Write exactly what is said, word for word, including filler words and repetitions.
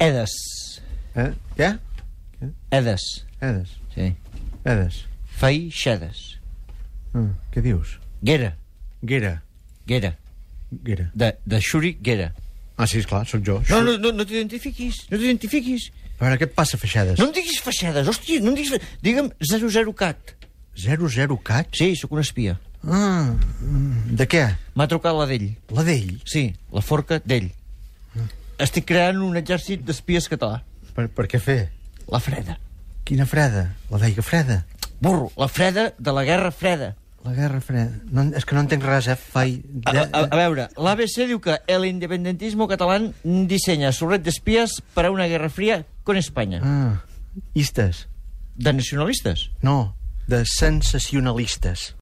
Edes. Eh? Què? Edes. Edes. Sí. Edes. Feixedes. Ah, què dius? Guera. Guera. Guera. Guera. De, de Xuri Guera. Ah, sí, esclar, sóc jo. No, no, no, no t'identifiquis. No t'identifiquis. A veure, què et passa, Feixedes? No em diguis Feixedes, hòstia, no em diguis... Digue'm zero zero cat. zero zero cat? Sí, sóc un espia. Ah, de què? M'ha trucat la d'ell. La d'ell? Sí, la forca d'ell. Estic creant un exèrcit d'espies català. Per, per què fer? La freda. Quina freda? La veiga freda? Burro, la freda de la guerra freda. La guerra freda. No, és que no entenc res, eh? Fai... A, a, a veure, l'A B C diu que el independentismo catalán diseña su red de espías para una guerra fría con España. Ah, istes. De nacionalistes. No, de sensacionalistes.